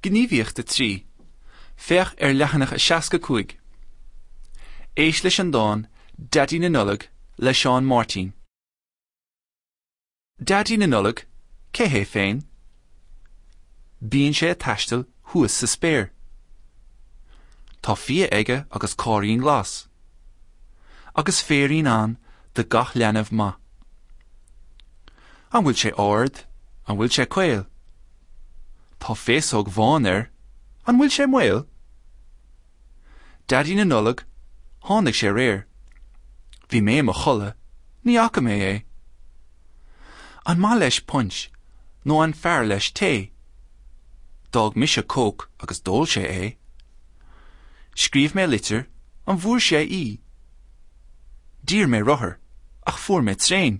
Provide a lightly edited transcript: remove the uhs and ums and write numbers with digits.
Gníomhaíocht 3. Féach ar leathanach 65. Éist leis an dán Daidí na Nollag le Seán Máirtín. Daidí na Nollag, cé hé féin? Bíonn sé ag taisteal thuas sa spéir. Tá fia aige agus cairín glas. Agus féirín ann do gach leanbh maith. An bhfuil sé ard? An bhfuil sé caol? Tá féasóg bhán air. An bhfuil sé maol? Daidí na Nollag, tháinig sé aréir. Bhí mé i mo chodladh, ní fhaca mé é. An maith leis punch nó an fearr leis tae? D'fhág mise Coke agus d'ól sé é. Scríobh mé litir, an bhfuair sé í? D'iarr mé rothar, ach fuair mé traein.